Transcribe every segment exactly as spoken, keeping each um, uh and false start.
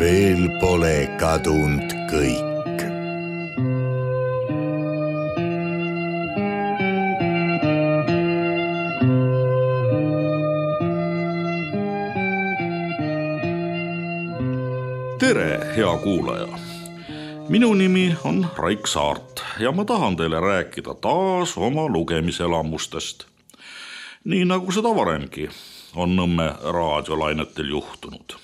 veel pole kadunud kõik. Tere, hea kuulaja! Minu nimi on Raik Saart ja ma tahan teile rääkida taas oma lugemiselamustest. Nii nagu seda varemgi on Nõmme raadiolainetel juhtunud.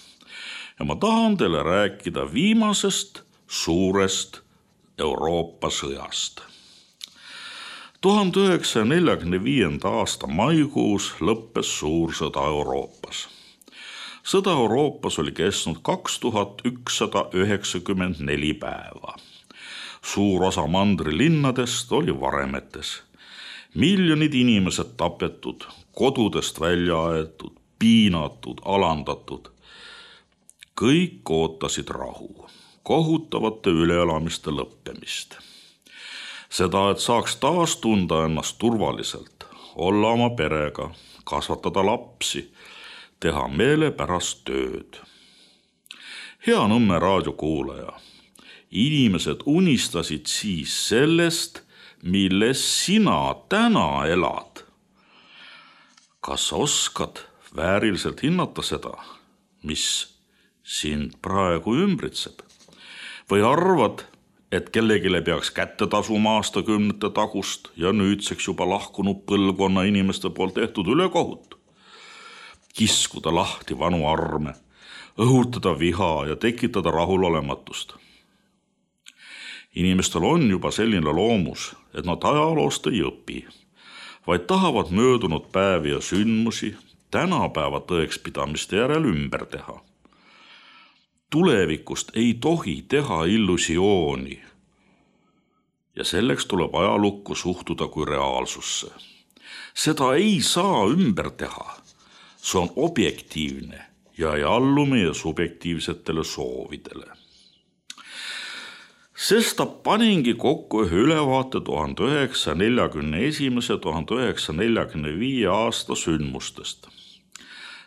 Ja ma tahan teile rääkida viimasest suurest Euroopa sõjast. tuhande üheksasaja neljakümne viienda aasta maikuus lõppes suur sõda Euroopas. Sõda Euroopas oli kestnud kaks tuhat ükssada üheksakümmend neli päeva. Suur osa mandri linnadest oli varemetes. Miljonid inimesed tapetud, kodudest välja aetud, piinatud, alandatud. Kõik ootasid rahu, kohutavate üleelamiste lõppemist. Seda, et saaks taas tunda ennast turvaliselt, olla oma perega, kasvatada lapsi, teha meelepärast tööd. Hea Nõmme raadiokuulaja, inimesed unistasid siis sellest, milles sina täna elad. Kas oskad vääriliselt hinnata seda, mis sind praegu ümbritseb? Või arvad, et kellegile peaks kätte tasuma aastakümnete tagust ja nüüdseks juba lahkunud põlvkonna inimeste poolt tehtud ülekohut? Kiskuda lahti vanu arme, õhutada viha ja tekitada rahulolematust. Inimestel on juba selline loomus, et nad ajaloost ei õpi, vaid tahavad möödunud päevi ja sündmusi tänapäeva tõekspidamiste järel ümber teha. Tulevikust ei tohi teha illusiooni ja selleks tuleb ajalukku suhtuda kui reaalsusse. Seda ei saa ümber teha. See on objektiivne ja ei allu meie subjektiivsetele soovidele. Sesta paningi kokku ühe ülevaate tuhande üheksasaja neljakümne esimese ja tuhande üheksasaja neljakümne viie aasta sündmustest.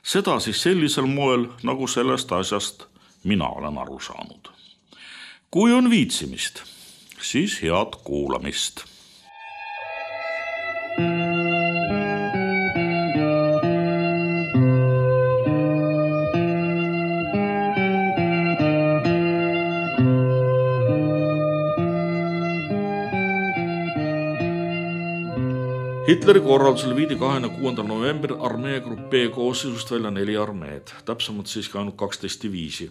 Seda siis sellisel moel, nagu sellest asjast mina olen aru saanud. Kui on viitsimist, siis head kuulamist. Hitleri korraldusel viidi kahekümne kuuendal novembril armeegrupp B koosseisust välja neli armeed, täpsemalt siiski ainult kaksteist diviisi,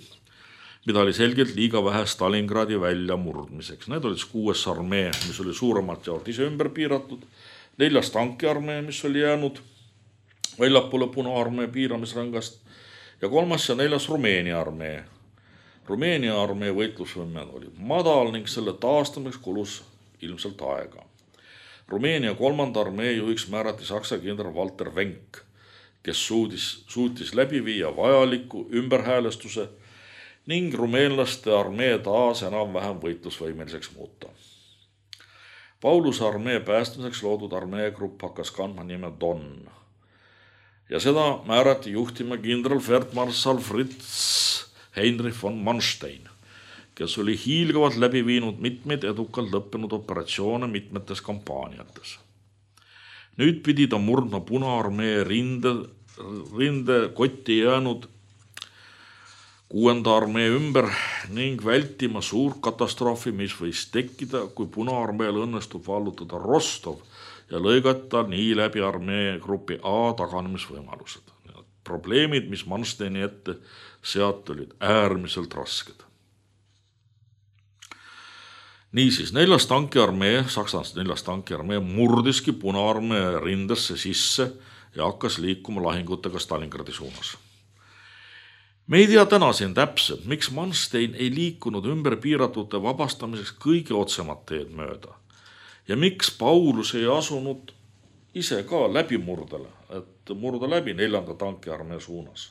mida oli selgelt liiga vähe Stalingradi välja murdmiseks. Need olid kuues armee, mis oli suuremalt jaolt ise ümber piiratud, neljas tankiarmee, mis oli jäänud väljapoole Punaarmee piiramisrangast ja kolmas ja neljas Rumeenia armee. Rumeenia armee võitlusvõime oli madal ning selle taastamiseks kulus ilmselt aega. Rumeenia kolmanda armee juhiks määrati saksa kindral Walter Wenck, kes suudis, suutis läbi viia vajaliku ümberhäälestuse ning rumeenlaste armee taas enam-vähem võitlusvõimeliseks muuta. Pauluse armee päästmiseks loodud armeegrupp hakkas kandma nime Don ja seda määrati juhtima kindral Feldmarschall Fritz Heinrich von Manstein, kes oli hiilgavalt läbi viinud mitmeid edukalt lõppenud operatsioone mitmetes kampaaniates. Nüüd pidi ta murdma Punaarmee rinde, rinde kotti jäänud kuuenda armee ümber ning vältima suur katastroofi, mis võis tekkida, kui Punaarmeel õnnestub vallutada Rostov ja lõigata nii läbi armee grupi A taganemisvõimalused. Probleemid, mis Mansteini ette seat olid äärmiselt rasked. Niisiis, neljas tankiarmee, Saksast neljas tankiarmee murdiski Punaarmee rindesse sisse ja hakkas liikuma lahingutega Stalingradi suunas. Me ei tea täna siin täpselt, miks Manstein ei liikunud ümber piiratute vabastamiseks kõige otsemat teed mööda ja miks Paulus ei asunud ise ka läbimurdele, et murda läbi neljanda tankiarmee suunas.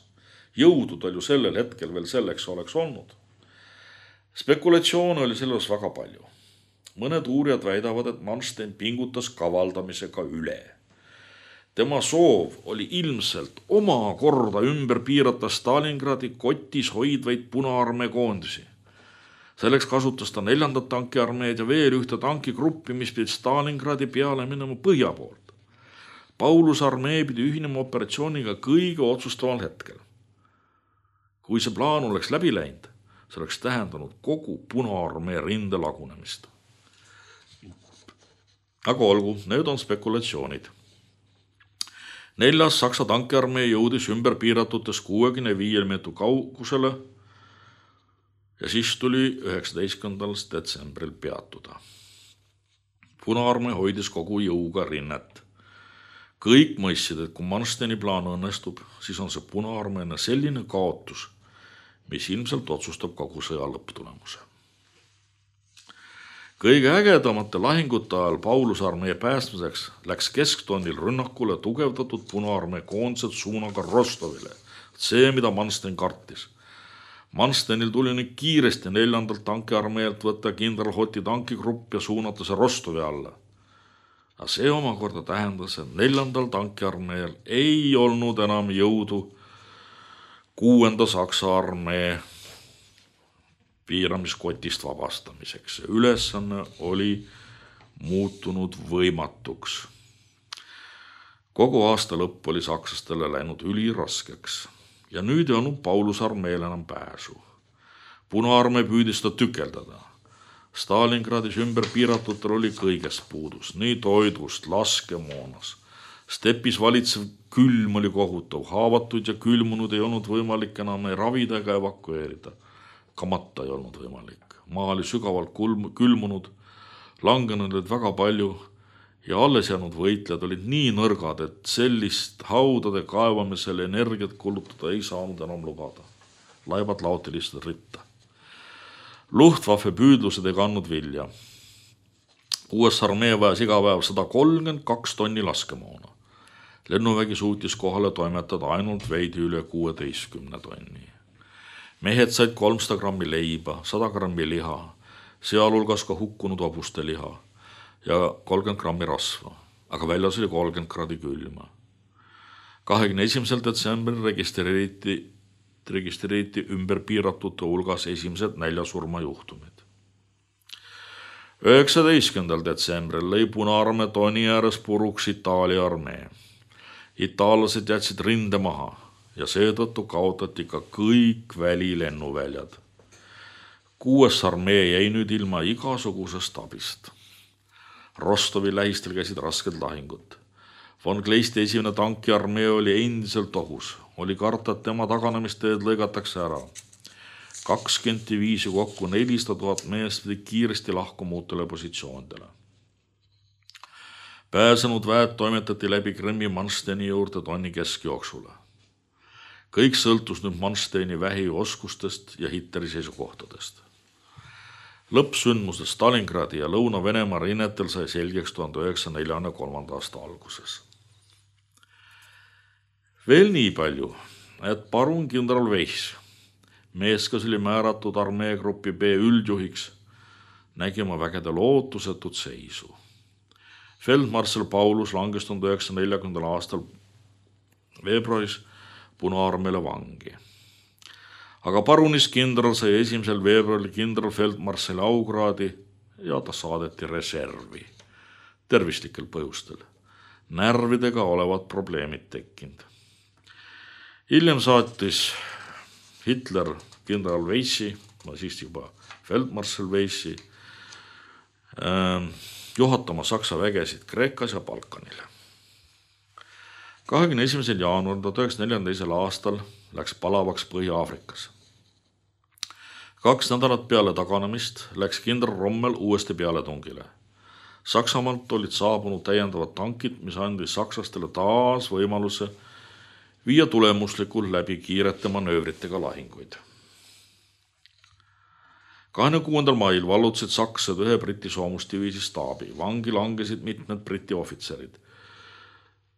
Jõudu tal ju sellel hetkel veel selleks oleks olnud. Spekulatsioone oli selles väga palju. Mõned uurijad väidavad, et Manstein pingutas kavaldamisega üle. Tema soov oli ilmselt oma korda ümber piirata Stalingradi kotis hoidvaid Punaarmee koondisi. Selleks kasutas ta neljandat tankiarmeed ja veel ühte tankigruppi, mis pidi Stalingradi peale minema põhja poolt. Pauluse armee pidi ühinema operatsiooniga kõige otsustaval hetkel. Kui see plaan oleks läbi läinud, see oleks tähendanud kogu Punaarmee rinde lagunemist. Aga olgu, need on spekulatsioonid. Neljas Saksa tankiarmee jõudis ümber piiratutes kuuekümne viie meetri kaugusele ja siis tuli üheksateistkümnendal detsembril peatuda. Punaarmee hoidis kogu jõuga rinnet. Kõik mõistsid, et kui Mansteini plaan õnnestub, siis on see Punaarmeena selline kaotus, mis ilmselt otsustab kogu sõja lõpptulemuse. Kõige ägedamate lahingute ajal Pauluse armee päästmiseks läks kesktonnil rünnakule tugevdatud Punaarmee koondised suunaga Rostovile. See, mida Manstein kartis. Mansteinil tuli nüüd kiiresti neljandalt tankiarmeelt võtta kindral Hoti tankigrupp ja suunata see Rostovi alla. Aga see omakorda tähendas, et neljandal tankiarmeel ei olnud enam jõudu kuuenda Saksa armee piiramiskotist vabastamiseks. Ülesanne oli muutunud võimatuks. Kogu aasta lõpp oli sakslastele läinud üliraskeks ja nüüd ei olnud Pauluse armeel enam pääsu. Punaarmee püüdis ta tükeldada. Stalingradis ümber piiratutel oli kõigest puudus, nii toidust, laskemoonas. Stepis valitsev külm oli kohutav, haavatud ja külmunud ei olnud võimalik enam ei ravida ega evakueerida. Kamata ei olnud võimalik. Maa oli sügavalt külmunud, langenud olid väga palju ja alles jäänud võitlejad olid nii nõrgad, et sellist haudade kaevamisel energiat kulutada ei saanud enam lubada. Laibad laoti lihtsalt ritta. Luftwaffe püüdlused ei kandnud vilja. Kuues armee vajas iga päev sada kolmkümmend kaks tonni laskemoona. Lennuvägi suutis kohale toimetada ainult veidi üle kuueteistkümne tonni. Mehed said kolmsada grammi leiba, sada grammi liha, sealhulgas ka hukkunud hobuste liha ja kolmkümmend grammi rasva, aga väljas oli kolmkümmend kraadi külma. kahekümne esimesel detsembril registreeriti, registreeriti ümber piiratute hulgas esimesed näljasurmajuhtumid. üheksateistkümnendal detsembril lõi Punaarmee Toni ääres puruks Itaalia armee. Itaallased jätsid rinde maha ja seetõttu kaotati ka kõik välilennuväljad. Kuues armee jäi nüüd ilma igasugusest abist. Rostovi lähistel käisid rasked lahingud. Von Kleisti esimene tankiarmee oli endiselt ohus. Oli karta, et tema taganemisteed lõigatakse ära. kakskümmend viis kokku nelisada tuhat meest pidi kiiresti lahkuma uutele positsioonidele. Pääsenud väed toimetati läbi Krimmi Mansteini juurde tonni keskjooksule. Kõik sõltus nüüd Mansteini vähioskustest ja Hitleri seisukohtadest. Lõppsündmused Stalingradi ja Lõuna-Venemaa rinnetel sai selgeks tuhande üheksasaja neljakümne kolmanda aasta alguses. Veel nii palju, et parun kindral Weiss, mees, kes oli määratud armeegrupi B üldjuhiks, nägi oma vägede lootusetut seisu. Feldmarssal Paulus langes tuhande üheksasaja neljakümnendal aastal veebruaris Punaarmeele vangi. Aga parunis kindral sai esimesel veebruaril kindral Feldmarssali aukraadi ja ta saadeti reservi tervislikel põhjustel. Närvidega olevad probleemid tekkinud. Hiljem saatis Hitler kindral Weissi, ma siis juba Feldmarssal Weissi, äh, juhatama Saksa vägesid Kreekas ja Balkanile. kahekümne esimesel jaanuaril tuhat üheksasaja neljakümne teisel aastal läks palavaks Põhja-Aafrikas. Kaks nädalat peale taganemist läks kindral Rommel uuesti pealetungile. Saksamaalt olid saabunud täiendavad tankid, mis andis sakslastele taas võimaluse viia tulemuslikult läbi kiirete manöövritega lahinguid. kahekümne kuuendal mail vallutasid sakslased ühe Briti soomusdiviisi staabi. Vangi langesid mitmed Briti ohvitserid.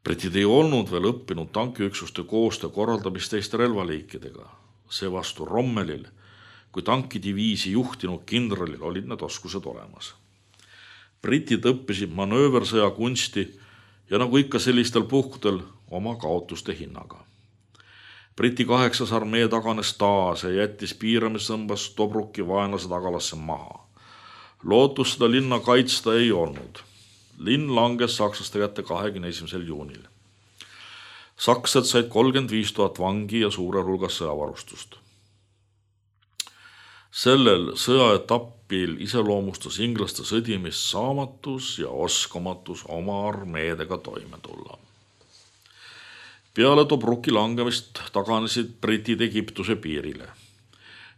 Britid ei olnud veel õppinud tankiüksuste koostöö korraldamist teiste relvaliikidega. Seevastu Rommelil, kui tankidiviisi juhtinud kindralil olid need oskused olemas. Britid õppisid manööversõja kunsti ja nagu ikka sellistel puhkudel oma kaotuste hinnaga. Briti kaheksas armee taganes taas ja jättis piiramisõmbas Tobruki vaenlase tagalasse maha. Lootus seda linna kaitsta ei olnud. Linn langes sakslaste kätte kahekümne esimesel juunil. Saksad said kolmkümmend viis tuhat vangi ja suure hulgas sõjavarustust. Sellel sõjaetapil iseloomustas inglaste sõdimist saamatus ja oskamatus oma armeedega toime tulla. Peale Tobruki langemist taganesid britid Egiptuse piirile.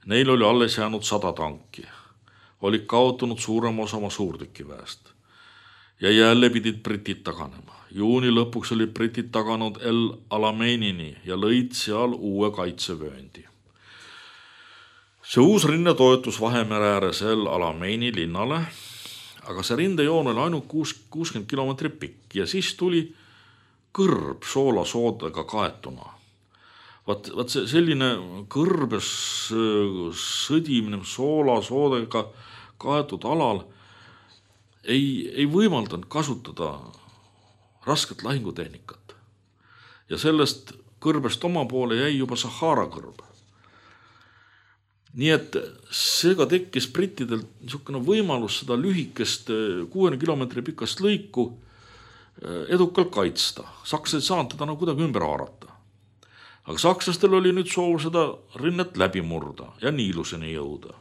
Neil oli alles jäänud sada tanki. Oli kaotunud suurem osa oma suurtükiväest. Ja jälle pidid britid taganema. Juuni lõpuks oli britid taganud El Alameinini ja lõid seal uue kaitsevööndi. See uus rinne toetus Vahemere ääres El Alameini linnale, aga see rindejoon oli ainult kuuskümmend kilomeetrit pikk ja siis tuli kõrb soolasoodega kaetuna. Vaat, vaat see selline kõrbes sõdimine soolasoodega kaetud alal ei, ei võimaldanud kasutada rasket lahingutehnikat. Ja sellest kõrbest oma poole jäi juba Sahara kõrb. Nii et seega tekkis brittidel niisugune võimalus seda lühikest kuuekümne kilomeetri pikast lõiku edukalt kaitsta. Sakslased ei saanud teda nagu kuidagi ümber haarata. Aga sakslastel oli nüüd soov seda rinnet läbi murda ja Niiluseni jõuda.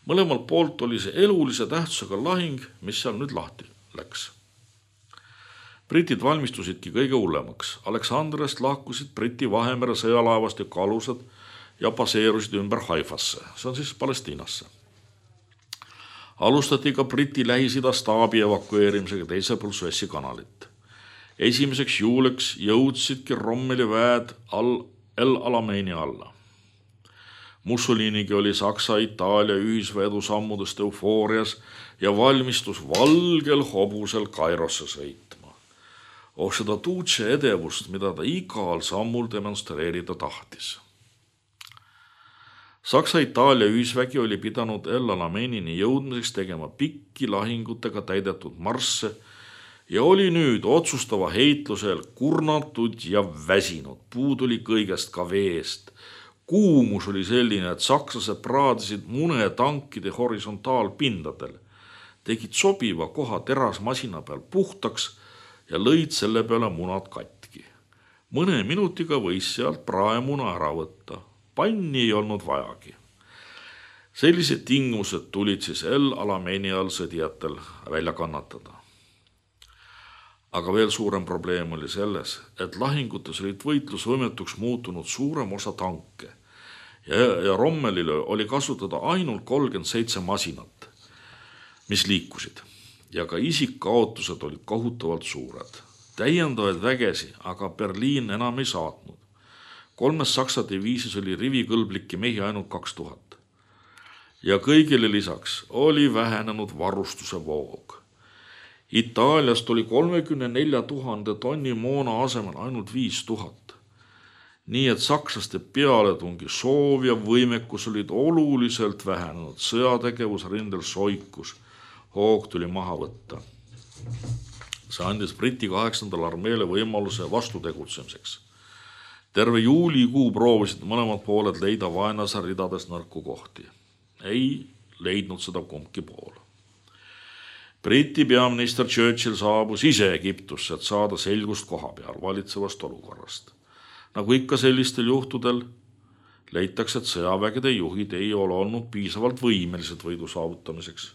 Mõlemalt poolt oli see elulise tähtsusega lahing, mis seal nüüd lahti läks. Britid valmistusidki kõige hullemaks. Aleksandriast lahkusid Briti Vahemere sõjalaevastiku alused ja baseerusid ümber Haifasse, see on siis Palestiinasse. Alustati ka Briti Lähis-Ida staabi evakueerimisega teisel pool Suessi kanalit. Esimeseks juuliks jõudsidki Rommeli väed El Alameini alla. Mussolinigi oli Saksa-Itaalia ühisveedu sammudest eufoorias ja valmistus valgel hobusel Kairosse sõitma. Oh seda Duce edevust, mida ta igal sammul demonstreerida tahtis. Saksa-Itaalia ühisvägi oli pidanud El Alameinini jõudmiseks tegema pikki lahingutega täidetud marsse ja oli nüüd otsustava heitlusel kurnatud ja väsinud. Puud oli kõigest ka veest. Kuumus oli selline, et sakslased praadisid mune tankide horisontaalpindadel, tegid sobiva koha terasmasina peal puhtaks ja lõid selle peale munad katki. Mõne minutiga võis sealt praemuna ära võtta. Panni ei olnud vajagi. Sellised tingimused tulid siis El Alameini all sõdijatel välja kannatada. Aga veel suurem probleem oli selles, et lahingutes olid võitlusvõimetuks muutunud suurem osa tanke ja, ja Rommelile oli kasutada ainult kolmkümmend seitse masinat, mis liikusid ja ka isikkaotused olid kohutavalt suured. Täiendavaid vägesi aga Berliin enam ei saatnud. Kolmes Saksa diviisis oli rivikõlbliki mehi ainult kaks tuhat. Ja kõigile lisaks oli vähenenud varustuse voog. Itaaliast oli kolmekümne nelja tuhande tonni moona asemel ainult viis tuhat. Nii et sakslaste pealetungi soov ja võimekus olid oluliselt vähenenud. Sõjategevus rindel soikus. Hoog tuli maha võtta. See andis Briti kaheksandal armeele võimaluse vastutegutsemiseks. Terve juulikuu proovisid mõlemad pooled leida vaenlase ridades nõrku kohti. Ei leidnud seda kumbki pool. Briti peaminister Churchill saabus ise Egiptusse, et saada selgust koha peal valitsevast olukorrast. Nagu ikka sellistel juhtudel leitakse, et sõjavägede juhid ei ole olnud piisavalt võimelised võidu saavutamiseks.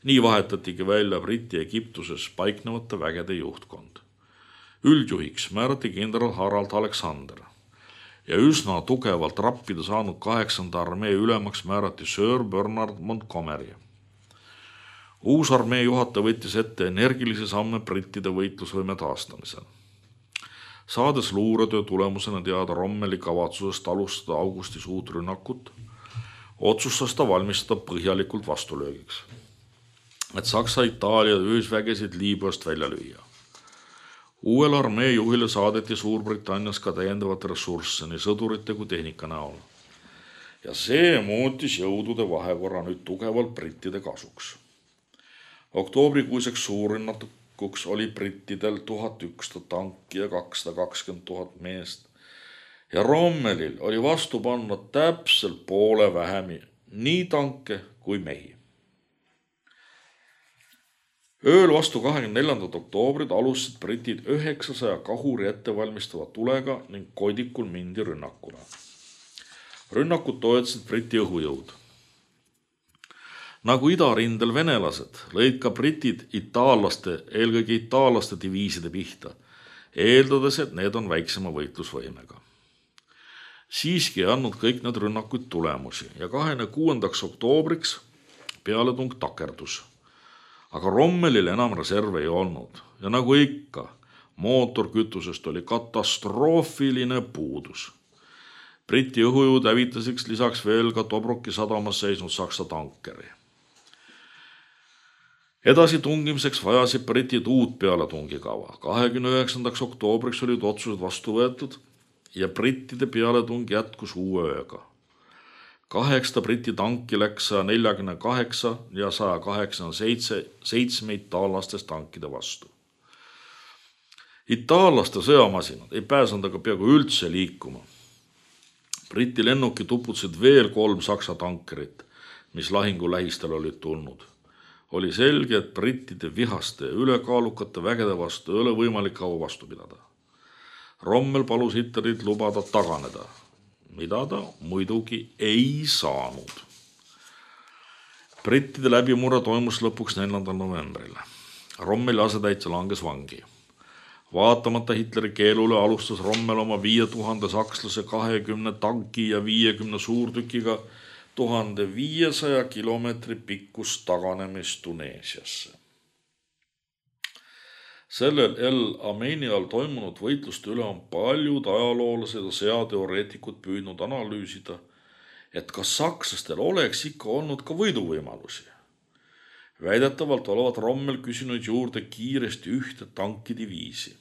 Nii vahetatigi välja Briti Egiptuses paiknevate vägede juhtkond. Üldjuhiks määrati kindral Harald Alexander ja üsna tugevalt rappida saanud kaheksanda armee ülemaks määrati Sir Bernard Montgomery. Uus armee juhataja võttis ette energilisi samme brittide võitlusvõime taastamisel. Saades luuretöö tulemusena teada Rommeli kavatsusest alustada augustis uut rünnakut, otsustas ta valmistada põhjalikult vastulöögiks, et Saksa-Itaalia ühisvägesid Liibüast välja lüüa. Uuel armee juhile saadeti Suurbritannias ka täiendavat ressursse nii sõdurite kui tehnika näol. Ja see muutis jõudude vahekorra nüüd tugevalt brittide kasuks. Oktoobrikuiseks suurrünnaku jätkuks oli brittidel tuhat ükssada tanki ja kakssada kakskümmend tuhat meest ja Rommelil oli vastu panna täpselt poole vähem nii tanke kui mehi. Ööl vastu kahekümne neljandat oktoobrit alustasid britid üheksasaja kahuri ettevalmistava tulega ning Koidikul mindi rünnakule. Rünnakut toetasid Briti õhujõud. Nagu idarindel venelased, lõid ka britid itaallaste, eelkõige itaallaste diviiside pihta, eeldades, et need on väiksema võitlusvõimega. Siiski ei andnud kõik need rünnakuid tulemusi ja kahekümne kuuendaks oktoobriks pealetung takerdus. Aga Rommelil enam reserve ei olnud ja nagu ikka, mootorkütusest oli katastroofiline puudus. Briti õhujõud hävitaseks lisaks veel ka Tobruki sadamas seisnud Saksa tankeri. Edasi tungimiseks vajasid britid uut pealetungikava. kahekümne üheksandaks oktoobriks olid otsused vastu võetud ja brittide pealetung jätkus uue ööga. Kaheksa briti tanki läks saja neljakümne kaheksa ja saja kaheksakümne seitse seitsme itaallastest tankide vastu. Itaallaste sõjamasinad ei pääsenud aga peaaegu üldse liikuma. Briti lennuki tuputasid veel kolm Saksa tankerit, mis lahingu lähistel olid tulnud. Oli selge, et brittide vihaste ja ülekaalukate vägede vastu ei ole võimalik kaua vastu pidada. Rommel palus Hitlerit lubada taganeda, mida ta muidugi ei saanud. Brittide läbimurre toimus lõpuks neljandal novembril. Rommeli asetäitja langes vangi. Vaatamata Hitleri keelule alustas Rommel oma viie tuhande sakslase kahekümne tanki ja viiekümne suurtükiga tuhande viiesaja kilomeetri pikkus taganemist Tuneesiasse. Sellel El Ameini all toimunud võitluste üle on paljud ajaloolased ja sõjateoreetikud püüdnud analüüsida, et kas sakslastel oleks ikka olnud ka võiduvõimalusi. Väidetavalt olevat Rommel küsinud juurde kiiresti ühte tankidiviisi.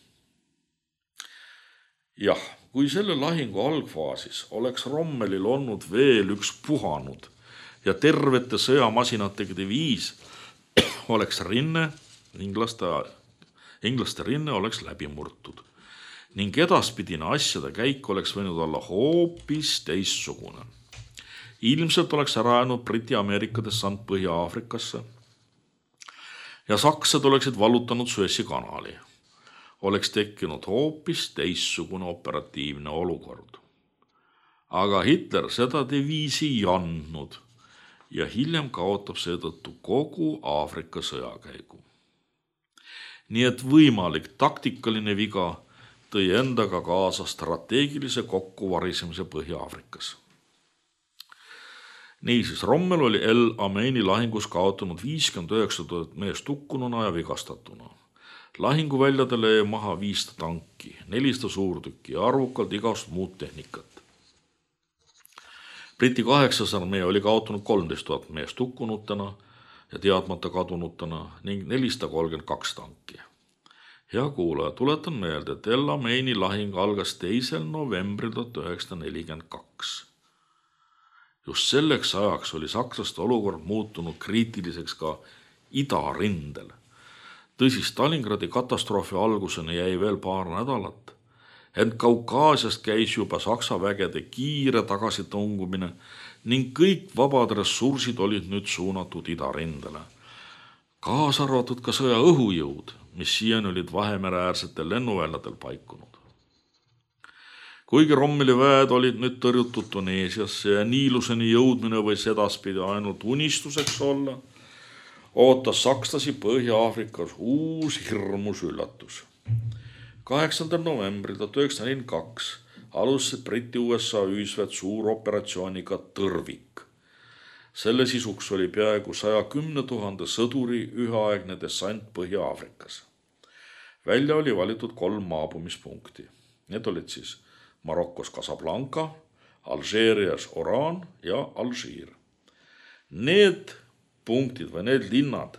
Jah, kui selle lahingu algfaasis oleks Rommelil olnud veel üks puhanud ja tervete sõjamasinatega diviis, oleks rinne inglaste aja. Inglaste rinne oleks läbi murtud ning edaspidine asjade käik oleks võinud olla hoopis teistsugune. Ilmselt oleks ära jäänud Briti-Ameerika dessant Põhja-Aafrikasse ja saksad oleksid vallutanud Suessi kanali. Oleks tekkinud hoopis teistsugune operatiivne olukord. Aga Hitler seda diviisi ei andnud ja hiljem kaotab seetõttu kogu Aafrika sõjakäigu. Nii et võimalik taktikaline viga tõi endaga kaasa strateegilise kokkuvarisemise Põhja-Aafrikas. Niisiis, Rommel oli El Ameini lahingus kaotanud viiskümmend üheksa tuhat meest hukkununa ja vigastatuna. Lahinguväljadele jäi maha viissada tanki, nelisada suurtükki ja arvukalt igast muud tehnikat. Briti kaheksas armee oli kaotanud kolmteist tuhat meest hukkunutena ja teadmata kadunutena ning nelisada kolmkümmend kaks tanki. Hea kuulaja, tuletan meelde, et El Ameini lahing algas teisel novembril tuhat üheksasada nelikümmend kaks. Just selleks ajaks oli sakslaste olukord muutunud kriitiliseks ka idarindel. Tõsi, Stalingradi katastroofi alguseni jäi veel paar nädalat, ent Kaukaasiast käis juba Saksa vägede kiire tagasitungumine ning kõik vabad ressursid olid nüüd suunatud idarindele. Kaasa arvatud ka sõja õhujõud, mis siiani olid Vahemereäärsetel lennuväljadel paikunud. Kuigi Rommeli väed olid nüüd tõrjutud Tuneesiasse ja Niiluseni jõudmine võis edaspidi ainult unistuseks olla, ootas sakslasi Põhja-Aafrikas uus hirmus üllatus. kaheksandal novembril tuhat üheksasada nelikümmend kaks alustasid Briti U S A ühisväed suuroperatsiooniga Tõrvik. Selle sisuks oli peaaegu saja kümne tuhande sõduri üheaegne dessant Põhja-Aafrikas. Välja oli valitud kolm maabumispunkti. Need olid siis Marokos Casablanca, Alžeerias Oran ja Alžiir. Need punktid või need linnad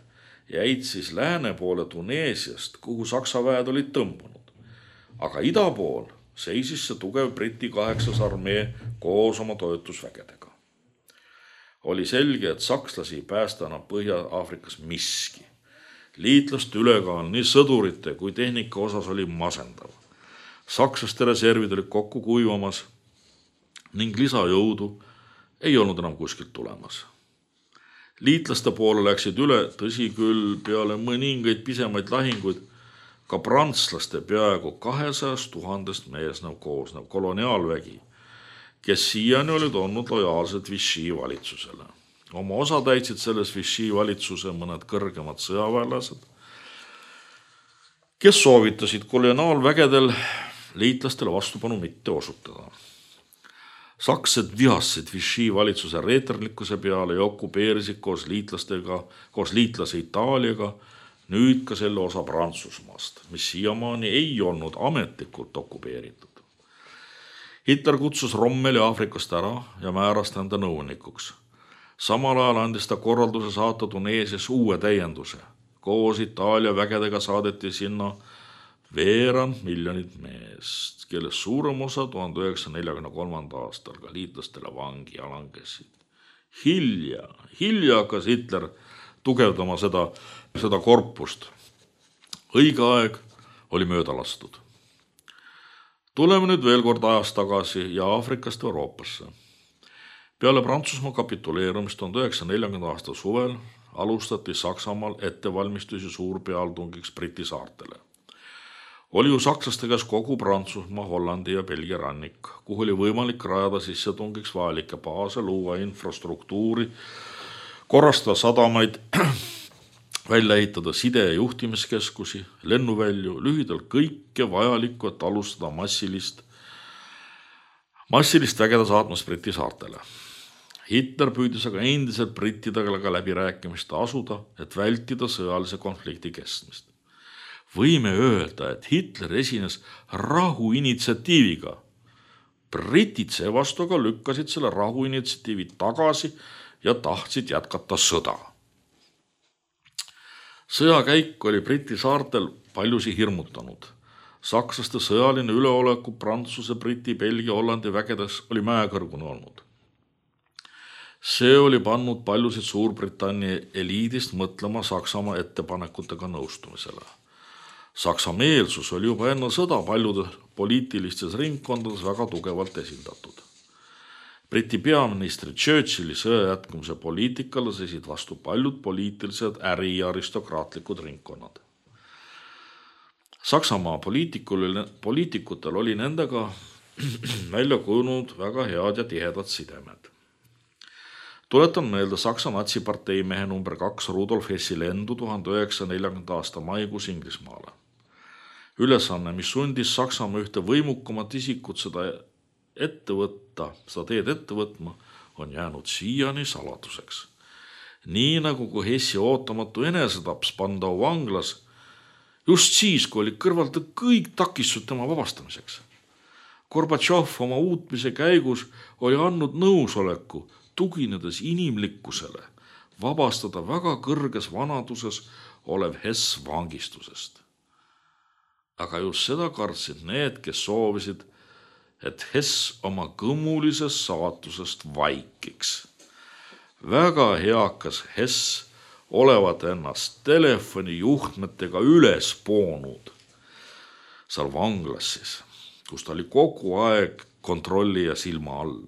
jäid siis lääne poole Tuneesiast, kuhu Saksa väed olid tõmbunud. Aga ida pool seisis see tugev Briti kaheksas armee koos oma toetusvägedega. Oli selge, et sakslasi ei päästa enam Põhja-Aafrikas miski. Liitlaste ülekaal nii sõdurite kui tehnika osas oli masendav. Sakslaste reservid olid kokku kuivamas ning lisajõudu ei olnud enam kuskilt tulemas. Liitlaste poole läksid üle, tõsi küll, peale mõningaid pisemaid lahinguid, ka prantslaste peaaegu kahesajast tuhandest meesnev koosnev koloniaalvägi, kes siiani olid olnud lojaalsed Vichy valitsusele. Oma osa täitsid selles Vichy valitsuse mõned kõrgemad sõjaväelased, kes soovitasid koloniaalvägedel liitlastele vastupanu mitte osutada. Saksed vihasid Vichy valitsuse reeterlikkuse peale ja okupeerisid koos liitlastega, koos liitlase Itaaliaga nüüd ka selle osa Prantsusmaast, mis siiamaani ei olnud ametlikult okupeeritud. Hitler kutsus Rommeli Aafrikast ära ja määras ta enda nõunikuks. Samal ajal andis ta korralduse saata Tuneesias uue täienduse. Koos Itaalia vägedega saadeti sinna veerand miljonit meest, kelles suurem osa tuhande üheksasaja neljakümne kolmanda aastal ka liitlastele vangi ja langesid. Hilja, hilja hakkas Hitler tugevdama seda, seda korpust. Õige aeg oli mööda lastud. Tuleme nüüd veel kord ajas tagasi ja Aafrikast Euroopasse. Peale Prantsusmaa kapituleerumist tuhande üheksasaja neljakümnenda aasta suvel alustati Saksamaal ettevalmistusi suurpealtungiks Briti saartele. Oli ju sakslaste käes kogu Prantsusmaa, Hollandi ja Belgia rannik, kuhu oli võimalik rajada sissetungiks vajalikke baase, luua infrastruktuuri, korrastada sadamaid, välja ehitada side- ja juhtimiskeskusi, lennuvälju, lühidalt kõike vajalikku, et alustada massilist, massilist vägede saatmast Briti saartele. Hitler püüdis aga endiselt brittidega läbirääkimist asuda, et vältida sõjalise konflikti kestmist. Võime öelda, et Hitler esines rahuinitsiatiiviga. Britid seevastu aga lükkasid selle rahuinitsiatiivi tagasi ja tahtsid jätkata sõda. Sõjakäik oli Briti saartel paljusi hirmutanud. Sakslaste sõjaline üleoleku Prantsuse, Briti, Belgia, Hollandi vägedes oli mäekõrgune olnud. See oli pannud paljusid Suurbritannia eliidist mõtlema Saksamaa ettepanekutega nõustumisele. Saksa meelsus oli juba enne sõda paljudes poliitilistes ringkondades väga tugevalt esindatud. Briti peaministri Churchilli sõja jätkumise poliitikale seisid vastu paljud poliitilised äri- ja aristokraatlikud ringkonnad. Saksamaa poliitikutel oli nendega välja kujunud väga head ja tihedad sidemed. Tuletan meelde Saksa natsipartei mehe number kaks Rudolf Hessi lendu tuhande üheksasaja neljakümnenda aasta maikuus Inglismaale. Ülesanne, mis sundis Saksamaa ühte võimukamat isikut seda ette võtta, seda teed ette võtma, on jäänud siiani saladuseks. Nii nagu kui Hessi ootamatu enesetaps Spandau vanglas, just siis, kui oli kõrvaldatud kõik takistused tema vabastamiseks. Gorbatšov oma uutmise käigus oli andnud nõusoleku, tuginedes inimlikkusele, vabastada väga kõrges vanaduses olev Hess vangistusest. Aga just seda kartsid need, kes soovisid, et Hess oma kõmulises saatusest vaikiks. Väga heakas Hess olevat ennast telefoni juhtmetega üles poonud seal vanglas siis, kus ta oli kogu aeg kontrolli ja silma all.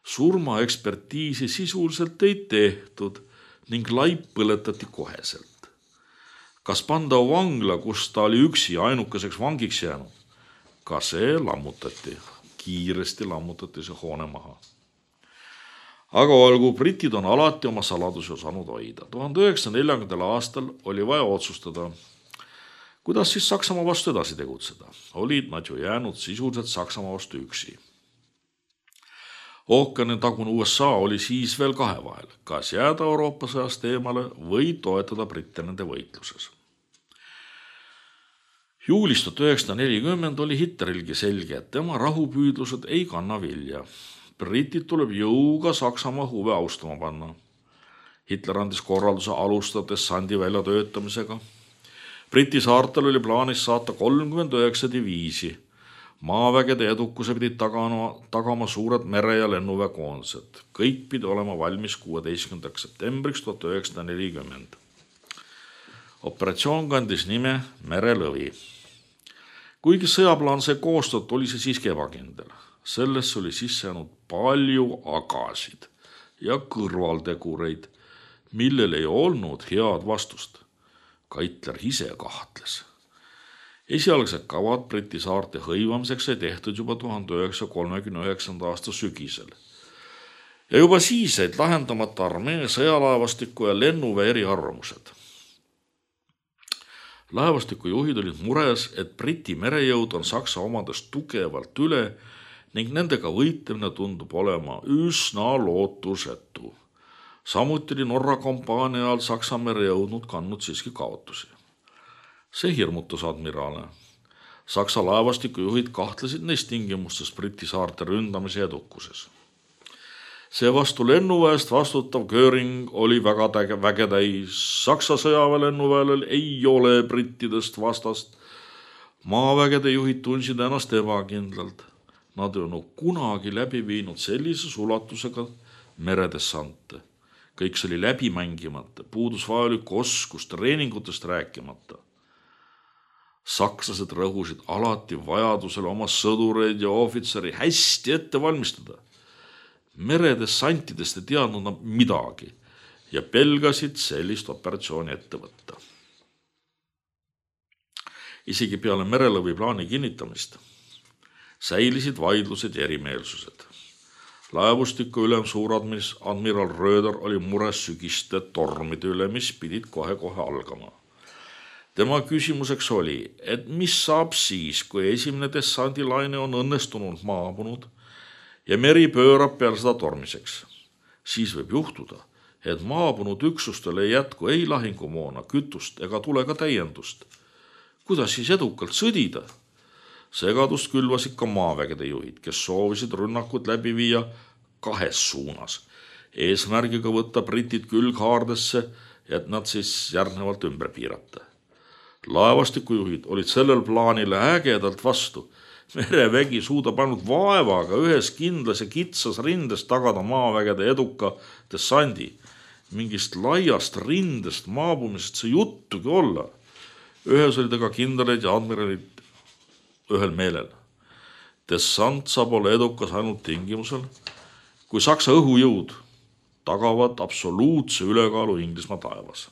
Surmaekspertiisi sisuliselt ei tehtud ning laip põletati koheselt. Kas Spandau vangla, kus ta oli üksi ainukeseks vangiks jäänud, ka see lammutati, kiiresti lammutati see hoone maha. Aga olgu, britid on alati oma saladusi osanud hoida. tuhande üheksasaja neljakümnendal aastal oli vaja otsustada, kuidas siis Saksamaa vastu edasi tegutseda. Olid nad ju jäänud sisuliselt Saksamaa vastu üksi. Ookeani tagune U S A oli siis veel kahe vahel, kas jääda Euroopa sõjast eemale või toetada britte nende võitluses. Juulis tuhat üheksasada nelikümmend oli Hitlerilgi selge, et tema rahupüüdlused ei kanna vilja. Britid tuleb jõuga Saksamaa huve austama panna. Hitler andis korralduse alustada dessandi väljatöötamisega. Briti saartel oli plaanis saata kolmkümmend üheksa diviisi. Maavägede edukuse pidid tagama, tagama suured mere- ja lennuväekoondised. Kõik pidi olema valmis kuueteistkümnendaks septembriks tuhat üheksasada nelikümmend. Operatsioon kandis nime Merelõvi. Kuigi sõjaplaan see koostot, oli see siiski ebakindel. Sellesse oli sisse jäänud palju agasid ja kõrvaltegureid, millel ei olnud head vastust. Ka Hitler ise kahtles. Esialgsed kavad Briti saarte hõivamiseks sai tehtud juba tuhande üheksasaja kolmekümne üheksanda aasta sügisel. Ja juba siis said lahendamata armee, sõjalaevastiku ja lennuväe eriarvamused. Laevastiku juhid olid mures, et Briti merejõud on Saksa omadest tugevalt üle ning nendega võitlemine tundub olema üsna lootusetu. Samuti oli Norra kampaania ajal Saksa merejõudnud kandnud siiski kaotusi. See hirmutas admiraale. Saksa laevastiku juhid kahtlesid neist tingimustes Briti saarte ründamise edukuses. See vastu lennuväest vastutav Göring oli väga vägetäis. Saksa sõjaväe lennuväel ei ole brittidest vastast. Maavägede juhid tundsid ennast ebakindlalt. Nad ei olnud kunagi läbi viinud sellises ulatusega meredessante. Kõik see oli läbi mängimata, puudus vajalik oskus, treeningutest rääkimata. Sakslased rõhusid alati vajadusele oma sõdureid ja ohvitseri hästi ette valmistada. Meredessantidest ei teadnud nad midagi ja pelgasid sellist operatsiooni ette võtta. Isegi peale Merelõvi plaani kinnitamist säilisid vaidlused ja erimeelsused. Laevustiku ülem suuradmiral Röder oli mures sügiste tormide üle, mis pidid kohe-kohe algama. Tema küsimuseks oli, et mis saab siis, kui esimene dessandilaine on õnnestunult maabunud ja meri pöörab peale seda tormiseks. Siis võib juhtuda, et maabunud üksustele ei jätku ei lahingumoona, kütust ega tule ka täiendust. Kuidas siis edukalt sõdida? Segadust külvasid ka maavägede juhid, kes soovisid rünnakut läbi viia kahes suunas. Eesmärgiga võtta britid külghaardesse, et nad siis järgnevalt ümber piirata. Laevastikujuhid olid sellel plaanile ägedalt vastu. Merevägi suudab ainult vaevaga ühes kindlas ja kitsas rindes tagada maavägede eduka dessandi. Mingist laiast rindest maabumisest see juttugi olla. Ühes olid aga kindralid ja admiralid ühel meelel. Dessant saab olla edukas ainult tingimusel, kui Saksa õhujõud tagavad absoluutse ülekaalu Inglismaa taevas.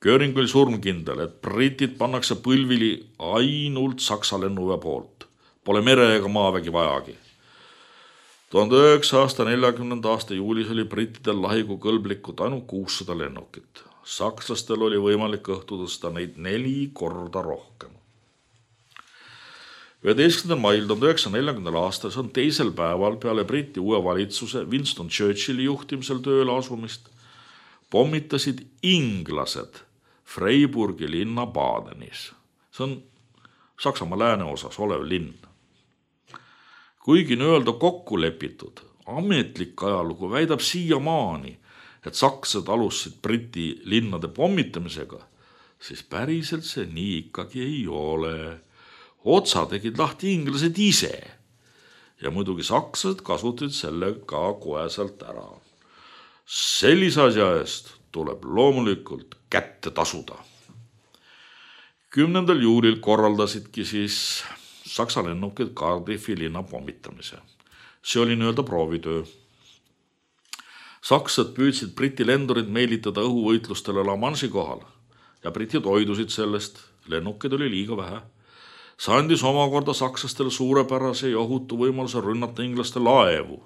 Göring oli surmkindel, et britid pannakse põlvili ainult Saksa lennuväe poolt. Pole mere ega maavägi vajagi. tuhande üheksasaja neljakümnenda aasta juulis oli brittidel lahigu kõlblikud ainult kuussada lennukit. Sakslastel oli võimalik õhtu tõsta neid neli korda rohkem. üheteistkümnendal mail tuhande üheksasaja neljakümnendal aastal on teisel päeval peale Briti uue valitsuse Winston Churchilli juhtimisel tööle asumist pommitasid inglased Freiburgi linna Badenis. See on Saksamaa lääneosas olev linn. Kuigi nii-öelda kokku lepitud, ametlik ajalugu väidab siiamaani, et sakslased alustasid Briti linnade pommitamisega, siis päriselt see nii ikkagi ei ole. Otsa tegid lahti inglased ise ja muidugi sakslased kasutasid selle ka koheselt ära. Sellise asja eest tuleb loomulikult kätte tasuda. kümnendal juulil korraldasidki siis Saksa lennukid Cardiffi linna pommitamise. See oli nii-öelda proovitöö. Sakslased püüdsid Briti lendurid meelitada õhuvõitlustele La Manche'i kohal ja britid hoidusid sellest, lennukid oli liiga vähe. See andis omakorda sakslastele suurepärase ja ohutu võimaluse rünnata inglaste laevu.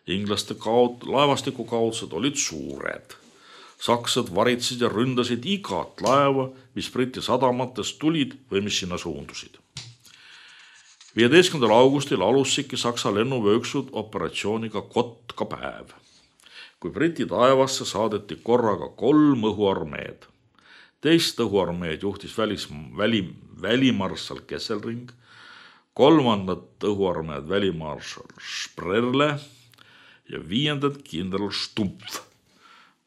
Inglaste kaot, laevastiku kaotused olid suured. Sakslased varitsid ja ründasid igat laeva, mis Briti sadamatest tulid või mis sinna suundusid. viieteistkümnendal augustil alusidki Saksa lennuväeüksud operatsiooniga Kotka päev, kui Briti taevasse saadeti korraga kolm õhuarmeed. Teist õhuarmeed juhtis välis, väli, välimarssal Kesselring, kolmandat õhuarmeed välimarssal Sprerle ja viiendat kindral Stumpf.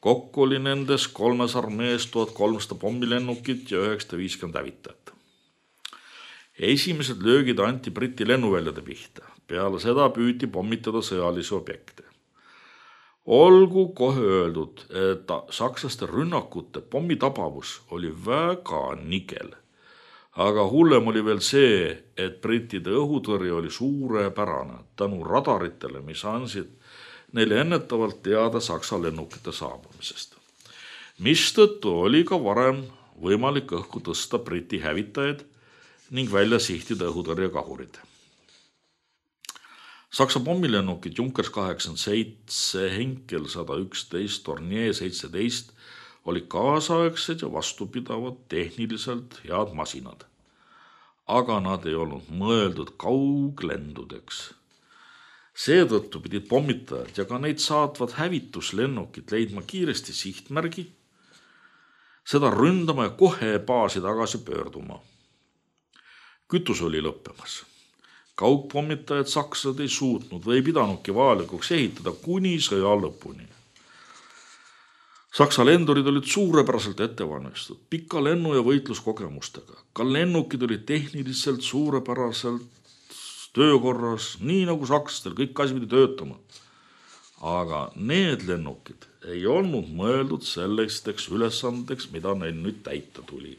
Kokku oli nendes kolmes armees tuhat kolmsada pommilennukit ja üheksasada viiskümmend hävitajat. Esimesed löögid anti Briti lennuväljade pihta. Peale seda püüti pommitada sõjalisi objekte. Olgu kohe öeldud, et sakslaste rünnakute pommitabavus oli väga nigel. Aga hullem oli veel see, et brittide õhutõrje oli suurepärane tänu radaritele, mis andsid neile ennetavalt teada Saksa lennukite saabumisest. Mistõttu oli ka varem võimalik õhku tõsta briti hävitajaid ning välja sihtida õhutõrjekahurid. Saksa pommilennukid Junkers kaheksakümmend seitse, Henkel sada üksteist, Dornier seitseteist oli kaasaegsed ja vastupidavad tehniliselt head masinad. Aga nad ei olnud mõeldud kauglendudeks. Seetõttu pidid pommitajad ja ka neid saatvad hävituslennukid leidma kiiresti sihtmärgi, seda ründama ja kohe baasi tagasi pöörduma. Kütus oli lõppemas. Kaugpommitajad sakslased ei suutnud või ei pidanudki vajalikuks ehitada kuni sõja lõpuni. Saksa lendurid olid suurepäraselt ettevalmistatud, pika lennu- ja võitluskogemustega. Ka lennukid olid tehniliselt suurepäraselt töökorras, nii nagu sakslastel, kõik asi pidi töötama. Aga need lennukid ei olnud mõeldud sellisteks ülesandeks, mida neil nüüd täita tuli.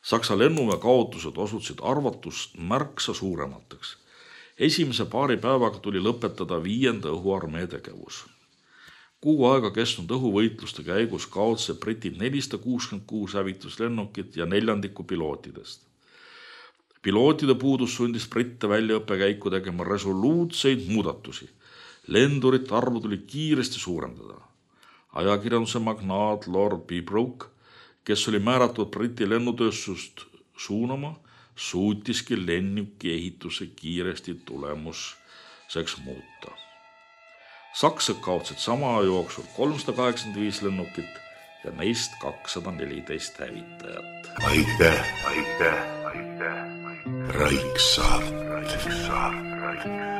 Saksa lennuväe kaotused osutusid arvatust märksa suuremateks. Esimese paari päevaga tuli lõpetada viienda õhuarmee tegevus. Kuu aega kestnud õhuvõitluste käigus kaotasid britid nelisada kuuskümmend kuus hävituslennukit ja neljandiku pilootidest. Pilootide puudus sundis britte väljaõppekäiku tegema resoluutseid muudatusi. Lendurite arvu tuli kiiresti suurendada. Ajakirjanduse magnaat Lord Pembroke, kes oli määratud briti lennutööstust suunama, suutiski lennuki ehituse kiiresti tulemuseks muuta. Saksad kaotsid sama jooksul kolmsada kaheksakümmend viis lennukit ja neist kakssada neliteist hävitajat. Aitäh, aitäh, aitäh, aitäh. Raiksaart, Raiksaart, Raiksaart.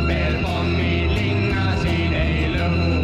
Veel pommid linnasid ei lõhu.